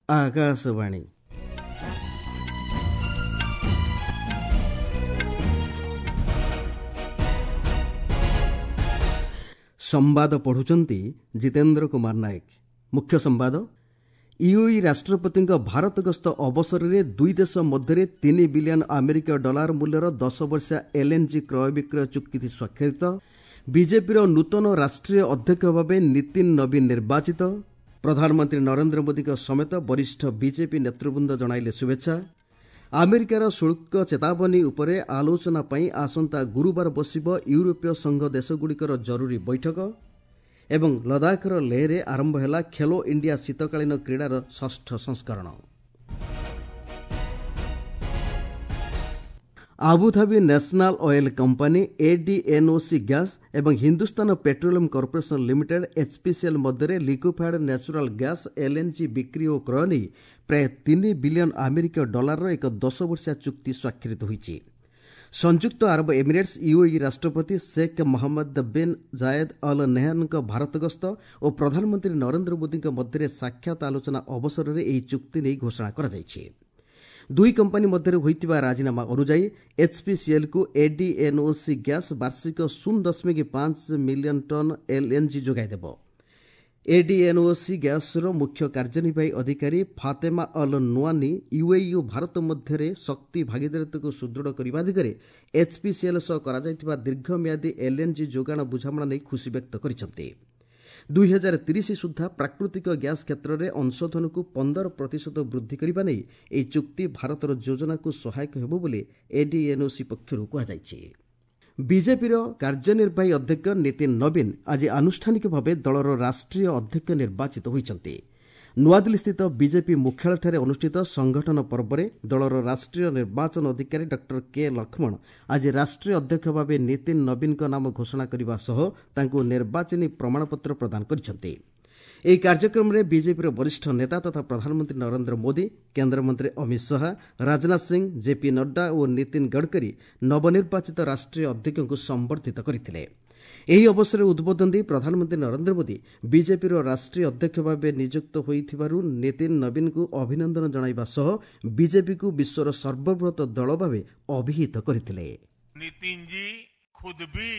ଆକାଶବାଣୀ। ସମ୍ବାଦ ପଢ଼ୁଛନ୍ତି ଜିତେନ୍ଦ୍ର କୁମାର ନାୟକ। ମୁଖ୍ୟ ସମ୍ବାଦ। ୟୁଏଇ ରାଷ୍ଟ୍ରପତିଙ୍କ ଭାରତ ଗସ୍ତ ଅବସରରେ ଦୁଇ ଦେଶ ମଧ୍ୟରେ 3 ବିଲିୟନ ଆମେରିକୀୟ ଡଲାର ମୂଲ୍ୟର 10 ବର୍ଷିଆ ଏଲ୍ଏନ୍ଜି କ୍ରୟ ବିକ୍ରୟ ଚୁକ୍ତି ସ୍ୱାକ୍ଷରିତ। ବିଜେପିର ନୂତନ ରାଷ୍ଟ୍ରୀୟ ଅଧ୍ୟକ୍ଷ ଭାବେ ନୀତିନ ନବୀନ ନିର୍ବାଚିତ। ପ୍ରଧାନମନ୍ତ୍ରୀ ନରେନ୍ଦ୍ର ମୋଦିଙ୍କ ସମେତ ବରିଷ୍ଠ ବିଜେପି ନେତୃବୃନ୍ଦ ଜଣାଇଲେ ଶୁଭେଚ୍ଛା। ଆମେରିକାର ଶୁଳ୍କ ଚେତାବନୀ ଉପରେ ଆଲୋଚନା ପାଇଁ ଆସନ୍ତା ଗୁରୁବାର ବସିବ ୟୁରୋପୀୟ ସଂଘ ଦେଶଗୁଡ଼ିକର ଜରୁରୀ ବୈଠକ। ଏବଂ ଲଦାଖର ଲେହରେ ଆରମ୍ଭ ହେଲା ଖେଲୋ ଇଣ୍ଡିଆ ଶୀତକାଳୀନ କ୍ରୀଡ଼ାର ଷଷ୍ଠ ସଂସ୍କରଣ। Abu Dhabi national oil company ADNOC gas ଏବଂ Hindustan petroleum corporation limited HPCL ମଧ୍ୟରେ ଲିକ୍ୱିଫାଏଡ୍ ନ୍ୟାଚୁରାଲ୍ ଗ୍ୟାସ୍ ଏଲ୍ଏନ୍ଜି ବିକ୍ରି ଓ କ୍ରୟ ନେଇ ପ୍ରାୟ 3 ବିଲିୟନ ଆମେରିକୀୟ ଡଲାରର ଏକ 10 ବର୍ଷିଆ ଚୁକ୍ତି ସ୍ୱାକ୍ଷରିତ ହୋଇଛି। ସଂଯୁକ୍ତ ଆରବ ଏମିରେଟ୍ସ ୟୁଏଇ ରାଷ୍ଟ୍ରପତି Sheikh Mohammed bin Zayed al ନେହ୍ୟାନ୍ଙ୍କ ଭାରତ ଗସ୍ତ ଓ ପ୍ରଧାନମନ୍ତ୍ରୀ ନରେନ୍ଦ୍ର ମୋଦିଙ୍କ ମଧ୍ୟରେ ସାକ୍ଷାତ ଆଲୋଚନା ଅବସରରେ ଏହି ଚୁକ୍ତି ନେଇ ଘୋଷଣା କରାଯାଇଛି। ଦୁଇ କମ୍ପାନୀ ମଧ୍ୟରେ ହୋଇଥିବା ରାଜିନାମା ଅନୁଯାୟୀ ଏଚ୍ପିସିଏଲ୍କୁ ଏଡିଏନ୍ଓସି ଗ୍ୟାସ୍ ବାର୍ଷିକ 0.5 ମିଲିୟନ ଟନ୍ ଏଲ୍ଏନ୍ଜି ଯୋଗାଇ ଦେବ। ଏଡିଏନ୍ଓସି ଗ୍ୟାସ୍ର ମୁଖ୍ୟ କାର୍ଯ୍ୟନିର୍ବାହୀ ଅଧିକାରୀ ଫାତେମା ଅଲ୍ ନୁଆନି ୟୁଏଇ ଓ ଭାରତ ମଧ୍ୟରେ ଶକ୍ତି ଭାଗିଦାରିତ୍ୱକୁ ସୁଦୃଢ଼ କରିବା ଦିଗରେ ଏଚ୍ପିସିଏଲ୍ ସହ କରାଯାଇଥିବା ଦୀର୍ଘମିଆଦୀ ଏଲ୍ଏନ୍ଜି ଯୋଗାଣ ବୁଝାମଣା ନେଇ ଖୁସି ବ୍ୟକ୍ତ କରିଛନ୍ତି। 2030 ସୁଦ୍ଧା ପ୍ରାକୃତିକ ଗ୍ୟାସ୍ କ୍ଷେତ୍ରରେ ଅଂଶଧନକୁ 15% ବୃଦ୍ଧି କରିବା ନେଇ ଏହି ଚୁକ୍ତି ଭାରତର ଯୋଜନାକୁ ସହାୟକ ହେବ ବୋଲି ଏଡିଏନ୍ଓସି ପକ୍ଷରୁ କୁହାଯାଇଛି। ବିଜେପିର କାର୍ଯ୍ୟନିର୍ବାହୀ ଅଧ୍ୟକ୍ଷ ନୀତିନ ନବୀନ ଆଜି ଆନୁଷ୍ଠାନିକ ଭାବେ ଦଳର ରାଷ୍ଟ୍ରୀୟ ଅଧ୍ୟକ୍ଷ ନିର୍ବାଚିତ ହୋଇଛନ୍ତି। ନୂଆଦିଲ୍ଲୀସ୍ଥିତ ବିଜେପି ମୁଖ୍ୟାଳୟଠାରେ ଅନୁଷ୍ଠିତ ସଂଗଠନ ପର୍ବରେ ଦଳର ରାଷ୍ଟ୍ରୀୟ ନିର୍ବାଚନ ଅଧିକାରୀ ଡକ୍ଟର କେ ଲକ୍ଷ୍ମଣ ଆଜି ରାଷ୍ଟ୍ରୀୟ ଅଧ୍ୟକ୍ଷ ଭାବେ ନୀତିନ ନବୀନଙ୍କ ନାମ ଘୋଷଣା କରିବା ସହ ତାଙ୍କୁ ନିର୍ବାଚନୀ ପ୍ରମାଣପତ୍ର ପ୍ରଦାନ କରିଛନ୍ତି। ଏହି କାର୍ଯ୍ୟକ୍ରମରେ ବିଜେପିର ବରିଷ୍ଠ ନେତା ତଥା ପ୍ରଧାନମନ୍ତ୍ରୀ ନରେନ୍ଦ୍ର ମୋଦି, କେନ୍ଦ୍ରମନ୍ତ୍ରୀ ଅମିତ ଶାହା, ରାଜନାଥ ସିଂ, ଜେପି ନଡ୍ଡା ଓ ନୀତିନ ଗଡ଼କରୀ ନବନିର୍ବାଚିତ ରାଷ୍ଟ୍ରୀୟ ଅଧ୍ୟକ୍ଷଙ୍କୁ ସମ୍ବର୍ଦ୍ଧିତ କରିଥିଲେ। ଏହି ଅବସରରେ ଉଦ୍ବୋଧନ ଦେଇ ପ୍ରଧାନମନ୍ତ୍ରୀ ନରେନ୍ଦ୍ର ମୋଦି ବିଜେପିର ରାଷ୍ଟ୍ରୀୟ ଅଧ୍ୟକ୍ଷ ଭାବେ ନିଯୁକ୍ତ ହୋଇଥିବାରୁ ନୀତିନ ନବୀନଙ୍କୁ ଅଭିନନ୍ଦନ ଜଣାଇବା ସହ ବିଜେପିକୁ ବିଶ୍ୱର ସର୍ବବୃହତ ଦଳ ଭାବେ ଅଭିହିତ କରିଥିଲେ। नितिन जी खुद भी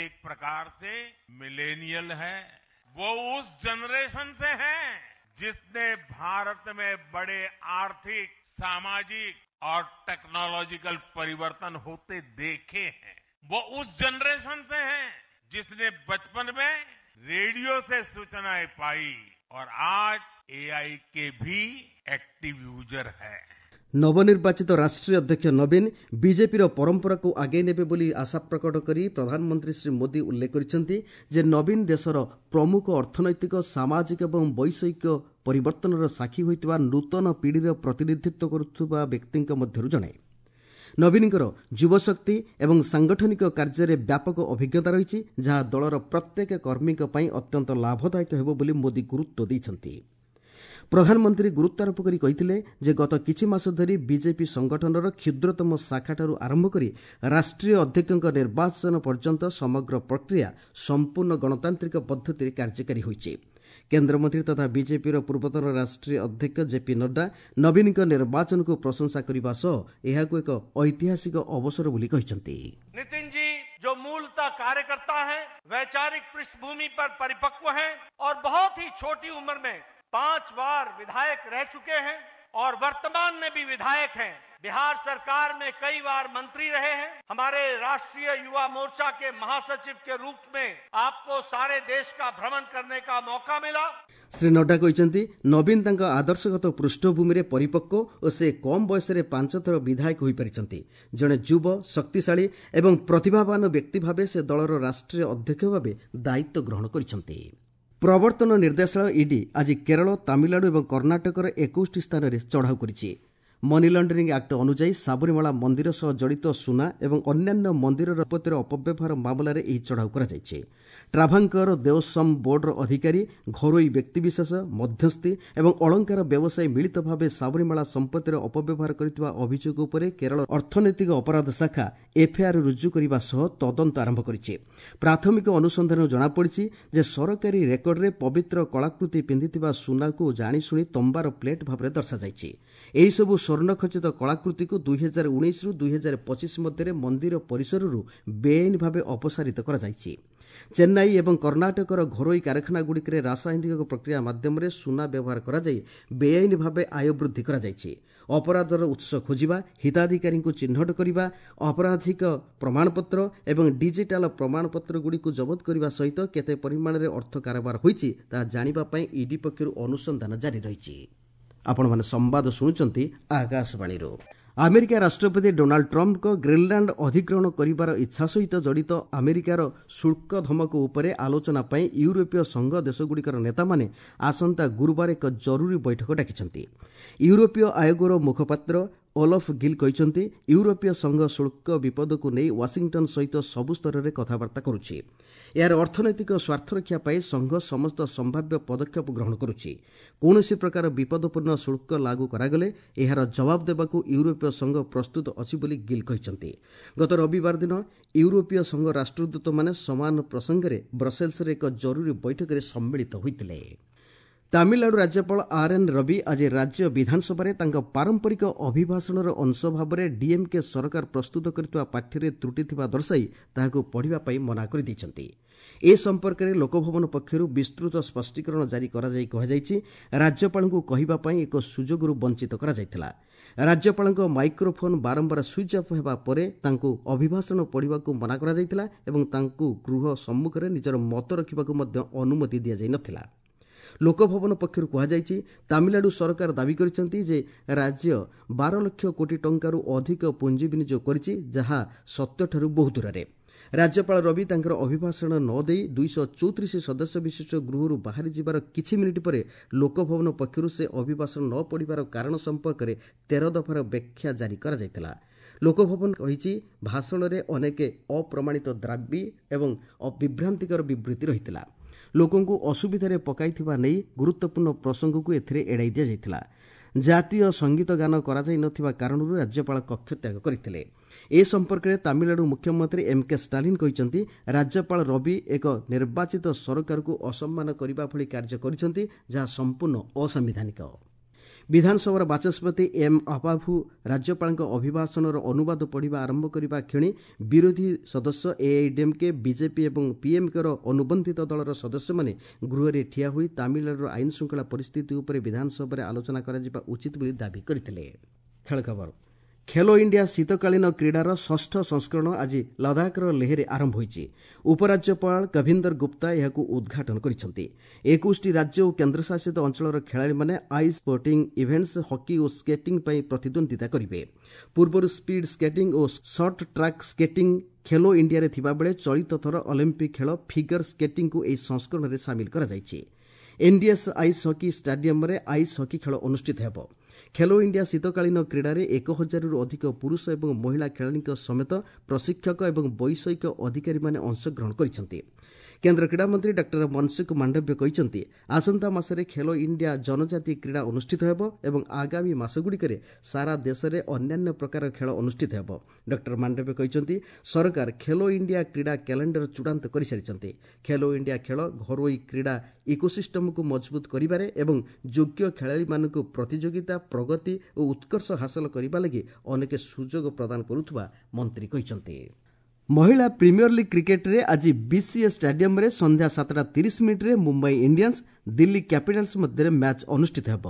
एक प्रकार से मिलेनियल है। वो उस जनरेशन से हैं जिसने भारत में बड़े आर्थिक, सामाजिक और टेक्नोलॉजिकल परिवर्तन होते देखे हैं। वो उस जनरेशन से हैं जिसने बचपन में रेडियो से सूचनाएं पाई और आज एआई के भी एक्टिव यूजर है। ନବନିର୍ବାଚିତ ରାଷ୍ଟ୍ରୀୟ ଅଧ୍ୟକ୍ଷ ନବୀନ ବିଜେପିର ପରମ୍ପରାକୁ ଆଗେଇ ନେବେ ବୋଲି ଆଶା ପ୍ରକଟ କରି ପ୍ରଧାନମନ୍ତ୍ରୀ ଶ୍ରୀ ମୋଦି ଉଲ୍ଲେଖ କରିଛନ୍ତି ଯେ ନବୀନ ଦେଶର ପ୍ରମୁଖ ଅର୍ଥନୈତିକ, ସାମାଜିକ ଏବଂ ବୈଷୟିକ ପରିବର୍ତ୍ତନର ସାକ୍ଷୀ ହୋଇଥିବା ନୂତନ ପିଢ଼ିର ପ୍ରତିନିଧିତ୍ୱ କରୁଥିବା ବ୍ୟକ୍ତିଙ୍କ ମଧ୍ୟରୁ ଜଣେ। ନବୀନଙ୍କର ଯୁବଶକ୍ତି ଏବଂ ସାଂଗଠନିକ କାର୍ଯ୍ୟରେ ବ୍ୟାପକ ଅଭିଜ୍ଞତା ରହିଛି, ଯାହା ଦଳର ପ୍ରତ୍ୟେକ କର୍ମୀଙ୍କ ପାଇଁ ଅତ୍ୟନ୍ତ ଲାଭଦାୟକ ହେବ ବୋଲି ମୋଦି ଗୁରୁତ୍ୱ ଦେଇଛନ୍ତି। ପ୍ରଧାନମନ୍ତ୍ରୀ ଗୁରୁତ୍ୱାରୋପ କରି କହିଥିଲେ ଯେ ଗତ କିଛି ମାସ ଧରି ବିଜେପି ସଂଗଠନର କ୍ଷୁଦ୍ରତମ ଶାଖାଠାରୁ ଆରମ୍ଭ କରି ରାଷ୍ଟ୍ରୀୟ ଅଧ୍ୟକ୍ଷଙ୍କ ନିର୍ବାଚନ ପର୍ଯ୍ୟନ୍ତ ସମଗ୍ର ପ୍ରକ୍ରିୟା ସମ୍ପୂର୍ଣ୍ଣ ଗଣତାନ୍ତ୍ରିକ ପଦ୍ଧତିରେ କାର୍ଯ୍ୟକାରୀ ହୋଇଛି। କେନ୍ଦ୍ରମନ୍ତ୍ରୀ ତଥା ବିଜେପିର ପୂର୍ବତନ ରାଷ୍ଟ୍ରୀୟ ଅଧ୍ୟକ୍ଷ ଜେପି ନଡ୍ଡା ନବୀନଙ୍କ ନିର୍ବାଚନକୁ ପ୍ରଶଂସା କରିବା ସହ ଏହାକୁ ଏକ ଐତିହାସିକ ଅବସର ବୋଲି କହିଛନ୍ତି। नितिन जी जो मूलतः कार्यकर्ता हैं, वैचारिक पृष्ठभूमि पर परिपक्व हैं और बहुत ही छोटी उम्र में 5 बार विधायक रह चुके हैं और वर्तमान में भी विधायक हैं। बिहार सरकार में कई बार मंत्री रहे हैं। हमारे राष्ट्रीय युवा मोर्चा के महासचिव के रूप में आपको सारे देश का भ्रमण करने का मौका मिला। ଶ୍ରୀ ନଡ୍ଡା କହିଛନ୍ତି, ନବୀନ ତାଙ୍କ ଆଦର୍ଶଗତ ପୃଷ୍ଠଭୂମିରେ ପରିପକ୍ୱ ଓ ସେ କମ୍ ବୟସରେ 5 ଥର ବିଧାୟକ ହୋଇପାରିଛନ୍ତି। ଜଣେ ଯୁବ, ଶକ୍ତିଶାଳୀ ଏବଂ ପ୍ରତିଭାବାନ ବ୍ୟକ୍ତି ଭାବେ ସେ ଦଳର ରାଷ୍ଟ୍ରୀୟ ଅଧ୍ୟକ୍ଷ ଭାବେ ଦାୟିତ୍ୱ ଗ୍ରହଣ କରିଛନ୍ତି। ପ୍ରବର୍ତ୍ତନ ନିର୍ଦ୍ଦେଶାଳୟ ଇଡି ଆଜି କେରଳ, ତାମିଲନାଡୁ ଏବଂ କର୍ଣ୍ଣାଟକର 21ଟି ସ୍ଥାନରେ ଚଢ଼ାଉ କରିଛି। ମନି ଲଣ୍ଡରିଂ ଆକ୍ଟ ଅନୁଯାୟୀ ସାବରିମାଳା ମନ୍ଦିର ସହ ଜଡ଼ିତ ସୁନା ଏବଂ ଅନ୍ୟାନ୍ୟ ମନ୍ଦିରର ସମ୍ପତ୍ତିର ଅପବ୍ୟବହାର ମାମଲାରେ ଏହି ଚଢ଼ାଉ କରାଯାଇଛି। ଟ୍ରାଭାଙ୍କର ଦେଓସମ୍ ବୋର୍ଡର ଅଧିକାରୀ, ଘରୋଇ ବ୍ୟକ୍ତିବିଶେଷ, ମଧ୍ୟସ୍ଥି ଏବଂ ଅଳଙ୍କାର ବ୍ୟବସାୟୀ ମିଳିତ ଭାବେ ସାବରିମାଳା ସମ୍ପତ୍ତିର ଅପବ୍ୟବହାର କରିଥିବା ଅଭିଯୋଗ ଉପରେ କେରଳ ଅର୍ଥନୈତିକ ଅପରାଧ ଶାଖା ଏଫ୍ଆଇଆର୍ ରୁଜୁ କରିବା ସହ ତଦନ୍ତ ଆରମ୍ଭ କରିଛି। ପ୍ରାଥମିକ ଅନୁସନ୍ଧାନରୁ ଜଣାପଡ଼ିଛି ଯେ ସରକାରୀ ରେକର୍ଡରେ ପବିତ୍ର କଳାକୃତି ପିନ୍ଧିଥିବା ସୁନାକୁ ଜାଣିଶୁଣି ତମ୍ବାର ପ୍ଲେଟ୍ ଭାବରେ ଦର୍ଶାଯାଇଛି। ଏହିସବୁ ସ୍ୱର୍ଣ୍ଣଖଚିତ କଳାକୃତିକୁ 2019ରୁ 2025 ମଧ୍ୟରେ ମନ୍ଦିର ପରିସରରୁ ବେଆଇନ ଭାବେ ଅପସାରିତ କରାଯାଇଛି। ଚେନ୍ନାଇ ଏବଂ କର୍ଣ୍ଣାଟକର ଘରୋଇ କାରଖାନାଗୁଡ଼ିକରେ ରାସାୟନିକ ପ୍ରକ୍ରିୟା ମାଧ୍ୟମରେ ସୁନା ବ୍ୟବହାର କରାଯାଇ ବେଆଇନ ଭାବେ ଆୟ ବୃଦ୍ଧି କରାଯାଇଛି। ଅପରାଧର ଉତ୍ସ ଖୋଜିବା, ହିତାଧିକାରୀଙ୍କୁ ଚିହ୍ନଟ କରିବା, ଅପରାଧିକ ପ୍ରମାଣପତ୍ର ଏବଂ ଡିଜିଟାଲ ପ୍ରମାଣପତ୍ରଗୁଡ଼ିକୁ ଜବତ କରିବା ସହିତ କେତେ ପରିମାଣରେ ଅର୍ଥ କାରବାର ହୋଇଛି ତାହା ଜାଣିବା ପାଇଁ ଇଡି ପକ୍ଷରୁ ଅନୁସନ୍ଧାନ ଜାରି ରହିଛି। ଆପଣମାନେ ସମ୍ବାଦ ଶୁଣୁଛନ୍ତି ଆକାଶବାଣୀରୁ। ଆମେରିକା ରାଷ୍ଟ୍ରପତି ଡୋନାଲ୍ଡ ଟ୍ରମ୍ପଙ୍କ ଗ୍ରୀନଲ୍ୟାଣ୍ଡ ଅଧିଗ୍ରହଣ କରିବାର ଇଚ୍ଛା ସହିତ ଜଡ଼ିତ ଆମେରିକାର ଶୁଳ୍କ ଧମକ ଉପରେ ଆଲୋଚନା ପାଇଁ ୟୁରୋପୀୟ ସଂଘ ଦେଶଗୁଡ଼ିକର ନେତାମାନେ ଆସନ୍ତା ଗୁରୁବାର ଏକ ଜରୁରୀ ବୈଠକ ଡାକିଛନ୍ତି। ୟୁରୋପୀୟ ଆୟୋଗର ମୁଖପାତ୍ର ଓଲଫ୍ ଗିଲ୍ କହିଛନ୍ତି, ୟୁରୋପୀୟ ସଂଘ ଶୁଳ୍କ ବିପଦକୁ ନେଇ ୱାଶିଂଟନ୍ ସହିତ ସବୁ ସ୍ତରରେ କଥାବାର୍ତ୍ତା କରୁଛି। ଏହାର ଅର୍ଥନୈତିକ ସ୍ୱାର୍ଥରକ୍ଷା ପାଇଁ ସଂଘ ସମସ୍ତ ସମ୍ଭାବ୍ୟ ପଦକ୍ଷେପ ଗ୍ରହଣ କରୁଛି। କୌଣସି ପ୍ରକାର ବିପଦପୂର୍ଣ୍ଣ ଶୁଳ୍କ ଲାଗୁ କରାଗଲେ ଏହାର ଜବାବ ଦେବାକୁ ୟୁରୋପୀୟ ସଂଘ ପ୍ରସ୍ତୁତ ଅଛି ବୋଲି ଗିଲ୍ କହିଛନ୍ତି। ଗତ ରବିବାର ଦିନ ୟୁରୋପୀୟ ସଂଘ ରାଷ୍ଟ୍ରଦୂତମାନେ ସମାନ ପ୍ରସଙ୍ଗରେ ବ୍ରସେଲ୍ସରେ ଏକ ଜରୁରୀ ବୈଠକରେ ସମ୍ମିଳିତ ହୋଇଥିଲେ। ତାମିଲନାଡୁ ରାଜ୍ୟପାଳ ଆର୍ ଏନ୍ ରବି ଆଜି ରାଜ୍ୟ ବିଧାନସଭାରେ ତାଙ୍କ ପାରମ୍ପରିକ ଅଭିଭାଷଣର ଅଂଶ ଭାବରେ ଡିଏମ୍କେ ସରକାର ପ୍ରସ୍ତୁତ କରିଥିବା ପାଠ୍ୟରେ ତ୍ରୁଟି ଥିବା ଦର୍ଶାଇ ତାହାକୁ ପଢ଼ିବା ପାଇଁ ମନା କରିଦେଇଛନ୍ତି। ଏ ସମ୍ପର୍କରେ ଲୋକଭବନ ପକ୍ଷରୁ ବିସ୍ତୃତ ସ୍ପଷ୍ଟୀକରଣ ଜାରି କରାଯାଇ କୁହାଯାଇଛି, ରାଜ୍ୟପାଳଙ୍କୁ କହିବା ପାଇଁ ଏକ ସୁଯୋଗରୁ ବଞ୍ଚିତ କରାଯାଇଥିଲା। ରାଜ୍ୟପାଳଙ୍କ ମାଇକ୍ରୋଫୋନ୍ ବାରମ୍ବାର ସୁଇଚ୍ ଅଫ୍ ହେବା ପରେ ତାଙ୍କୁ ଅଭିଭାଷଣ ପଢ଼ିବାକୁ ମନା କରାଯାଇଥିଲା ଏବଂ ତାଙ୍କୁ ଗୃହ ସମ୍ମୁଖରେ ନିଜର ମତ ରଖିବାକୁ ମଧ୍ୟ ଅନୁମତି ଦିଆଯାଇ ନଥିଲା। ଲୋକଭବନ ପକ୍ଷରୁ କୁହାଯାଇଛି, ତାମିଲନାଡୁ ସରକାର ଦାବି କରିଛନ୍ତି ଯେ ରାଜ୍ୟ 12 ଲକ୍ଷ କୋଟି ଟଙ୍କାରୁ ଅଧିକ ପୁଞ୍ଜି ବିନିଯୋଗ କରିଛି, ଯାହା ସତ୍ୟଠାରୁ ବହୁ ଦୂରରେ। ରାଜ୍ୟପାଳ ରବି ତାଙ୍କର ଅଭିଭାଷଣ ନ ଦେଇ 234 ସଦସ୍ୟ ବିଶିଷ୍ଟ ଗୃହରୁ ବାହାରି ଯିବାର କିଛି ମିନିଟ୍ ପରେ ଲୋକଭବନ ପକ୍ଷରୁ ସେ ଅଭିଭାଷଣ ନ ପଢ଼ିବାର କାରଣ ସମ୍ପର୍କରେ 13 ଦଫାର ବ୍ୟାଖ୍ୟା ଜାରି କରାଯାଇଥିଲା। ଲୋକଭବନ କହିଛି, ଭାଷଣରେ ଅନେକ ଅପ୍ରମାଣିତ ଦାବି ଏବଂ ବିଭ୍ରାନ୍ତିକର ବିବୃତ୍ତି ରହିଥିଲା। ଲୋକଙ୍କୁ ଅସୁବିଧାରେ ପକାଇଥିବା ନେଇ ଗୁରୁତ୍ୱପୂର୍ଣ୍ଣ ପ୍ରସଙ୍ଗକୁ ଏଥିରେ ଏଡ଼ାଇ ଦିଆଯାଇଥିଲା। ଜାତୀୟ ସଙ୍ଗୀତ ଗାନ କରାଯାଇ ନଥିବା କାରଣରୁ ରାଜ୍ୟପାଳ କକ୍ଷତ୍ୟାଗ କରିଥିଲେ। ଏ ସମ୍ପର୍କରେ ତାମିଲନାଡୁ ମୁଖ୍ୟମନ୍ତ୍ରୀ ଏମ୍ କେ ଷ୍ଟାଲିନ୍ କହିଛନ୍ତି, ରାଜ୍ୟପାଳ ରବି ଏକ ନିର୍ବାଚିତ ସରକାରକୁ ଅସମ୍ମାନ କରିବା ଭଳି କାର୍ଯ୍ୟ କରିଛନ୍ତି, ଯାହା ସମ୍ପୂର୍ଣ୍ଣ ଅସାମ୍ବିଧାନିକ। ବିଧାନସଭାର ବାଚସ୍ପତି ଏମ୍ ଆପାଭୁ ରାଜ୍ୟପାଳଙ୍କ ଅଭିଭାଷଣର ଅନୁବାଦ ପଢ଼ିବା ଆରମ୍ଭ କରିବା କ୍ଷଣି ବିରୋଧୀ ସଦସ୍ୟ ଏଆଇଡିଏମ୍କେ, ବିଜେପି ଏବଂ ପିଏମ୍କେର ଅନୁବନ୍ଧିତ ଦଳର ସଦସ୍ୟମାନେ ଗୃହରେ ଠିଆ ହୋଇ ତାମିଲନାଡୁର ଆଇନ ଶୃଙ୍ଖଳା ପରିସ୍ଥିତି ଉପରେ ବିଧାନସଭାରେ ଆଲୋଚନା କରାଯିବା ଉଚିତ ବୋଲି ଦାବି କରିଥିଲେ। ଖେଳ ଖବର। ଖେଲୋ ଇଣ୍ଡିଆ ଶୀତକାଳୀନ କ୍ରୀଡ଼ାର ଷଷ୍ଠ ସଂସ୍କରଣ ଆଜି ଲଦାଖର ଲେହରେ ଆରମ୍ଭ ହୋଇଛି। ଉପରାଜ୍ୟପାଳ କଭିନ୍ଦର ଗୁପ୍ତା ଏହାକୁ ଉଦ୍ଘାଟନ କରିଛନ୍ତି। 21ଟି ରାଜ୍ୟ ଓ କେନ୍ଦ୍ରଶାସିତ ଅଞ୍ଚଳର ଖେଳାଳିମାନେ ଆଇସ୍ ସ୍ପୋର୍ଟିଂ ଇଭେଣ୍ଟସ୍, ହକି ଓ ସ୍କେଟିଂ ପାଇଁ ପ୍ରତିଦ୍ୱନ୍ଦ୍ୱିତା କରିବେ। ପୂର୍ବରୁ ସ୍ପିଡ୍ ସ୍କେଟିଂ ଓ ସର୍ଟ ଟ୍ରାକ୍ ସ୍କେଟିଂ ଖେଲୋ ଇଣ୍ଡିଆରେ ଥିବାବେଳେ ଚଳିତ ଥର ଅଲିମ୍ପିକ୍ ଖେଳ ଫିଗର ସ୍କେଟିଂକୁ ଏହି ସଂସ୍କରଣରେ ସାମିଲ କରାଯାଇଛି। ଏନ୍ଡିଏସ୍ ଆଇସ୍ ହକି ଷ୍ଟାଡିୟମରେ ଆଇସ୍ ହକି ଖେଳ ଅନୁଷ୍ଠିତ ହେବ। ଖେଲୋ ଇଣ୍ଡିଆ ଶୀତକାଳୀନ କ୍ରୀଡ଼ାରେ 1000ରୁ ଅଧିକ ପୁରୁଷ ଏବଂ ମହିଳା ଖେଳାଳିଙ୍କ ସମେତ ପ୍ରଶିକ୍ଷକ ଏବଂ ବୈଷୟିକ ଅଧିକାରୀମାନେ ଅଂଶଗ୍ରହଣ କରିଛନ୍ତି। କେନ୍ଦ୍ର କ୍ରୀଡ଼ାମନ୍ତ୍ରୀ ଡକ୍ଟର ମନସୁଖ ମାଣ୍ଡବ୍ୟ କହିଛନ୍ତି, ଆସନ୍ତା ମାସରେ ଖେଲୋ ଇଣ୍ଡିଆ ଜନଜାତି କ୍ରୀଡ଼ା ଅନୁଷ୍ଠିତ ହେବ ଏବଂ ଆଗାମୀ ମାସଗୁଡ଼ିକରେ ସାରା ଦେଶରେ ଅନ୍ୟାନ୍ୟ ପ୍ରକାର ଖେଳ ଅନୁଷ୍ଠିତ ହେବ। ଡକ୍ଟର ମାଣ୍ଡବ୍ୟ କହିଛନ୍ତି, ସରକାର ଖେଲୋ ଇଣ୍ଡିଆ କ୍ରୀଡ଼ା କ୍ୟାଲେଣ୍ଡର ଚୂଡ଼ାନ୍ତ କରିସାରିଛନ୍ତି। ଖେଲୋ ଇଣ୍ଡିଆ ଖେଳ ଘରୋଇ କ୍ରୀଡ଼ା ଇକୋସିଷ୍ଟମକୁ ମଜବୁତ କରିବାରେ ଏବଂ ଯୋଗ୍ୟ ଖେଳାଳିମାନଙ୍କୁ ପ୍ରତିଯୋଗିତା, ପ୍ରଗତି ଓ ଉତ୍କର୍ଷ ହାସଲ କରିବା ଲାଗି ଅନେକ ସୁଯୋଗ ପ୍ରଦାନ କରୁଥିବା ମନ୍ତ୍ରୀ କହିଛନ୍ତି। ମହିଳା ପ୍ରିମିୟର ଲିଗ୍ କ୍ରିକେଟରେ ଆଜି ବିସିଏ ଷ୍ଟାଡିୟମରେ ସନ୍ଧ୍ୟା 7:30 ମୁମ୍ବାଇ ଇଣ୍ଡିଆନ୍ସ ଦିଲ୍ଲୀ କ୍ୟାପିଟାଲ୍ସ ମଧ୍ୟରେ ମ୍ୟାଚ୍ ଅନୁଷ୍ଠିତ ହେବ।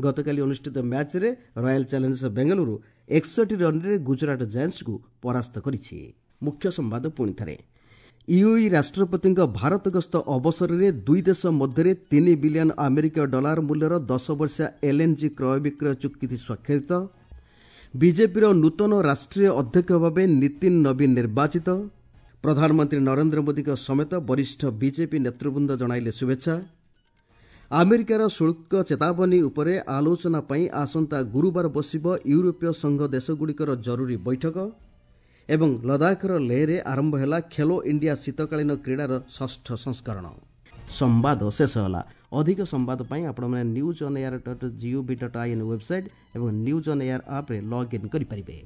ଗତକାଲି ଅନୁଷ୍ଠିତ ମ୍ୟାଚ୍ରେ ରୟାଲ ଚ୍ୟାଲେଞ୍ଜର୍ସ ବେଙ୍ଗାଲୁରୁ 61 ରନ୍ରେ ଗୁଜରାଟ ଜାଏଣ୍ଟସ୍କୁ ପରାସ୍ତ କରିଛି। ମୁଖ୍ୟ ସମ୍ବାଦ ପୁଣି ଥରେ। ୟୁଏଇ ରାଷ୍ଟ୍ରପତିଙ୍କ ଭାରତ ଗସ୍ତ ଅବସରରେ ଦୁଇ ଦେଶ ମଧ୍ୟରେ 3 ବିଲିୟନ ଆମେରିକୀୟ ଡଲାର ମୂଲ୍ୟର 10 ବର୍ଷିଆ ଏଲ୍ଏନ୍ଜି କ୍ରୟ ବିକ୍ରୟ ଚୁକ୍ତି ସ୍ୱାକ୍ଷରିତ। ବିଜେପିର ନୂତନ ରାଷ୍ଟ୍ରୀୟ ଅଧ୍ୟକ୍ଷ ଭାବେ ନୀତିନ ନବୀନ ନିର୍ବାଚିତ। ପ୍ରଧାନମନ୍ତ୍ରୀ ନରେନ୍ଦ୍ର ମୋଦିଙ୍କ ସମେତ ବରିଷ୍ଠ ବିଜେପି ନେତୃବୃନ୍ଦ ଜଣାଇଲେ ଶୁଭେଚ୍ଛା। ଆମେରିକାର ଶୁଳ୍କ ଚେତାବନୀ ଉପରେ ଆଲୋଚନା ପାଇଁ ଆସନ୍ତା ଗୁରୁବାର ବସିବ ୟୁରୋପୀୟ ସଂଘ ଦେଶଗୁଡ଼ିକର ଜରୁରୀ ବୈଠକ। ଏବଂ ଲଦାଖର ଲେହରେ ଆରମ୍ଭ ହେଲା ଖେଲୋ ଇଣ୍ଡିଆ ଶୀତକାଳୀନ କ୍ରୀଡ଼ାର ଷଷ୍ଠ ସଂସ୍କରଣ। ସମ୍ବାଦ ଶେଷ ହେଲା। ଅଧିକ ସମ୍ବାଦ ପାଇଁ ଆପଣମାନେ news on air dot GOV dot IN website ଏବଂ ନ୍ୟୁଜ୍ ଅନ୍ ଏୟାର ଆପ୍ରେ ଲଗ୍ଇନ୍ କରିପାରିବେ।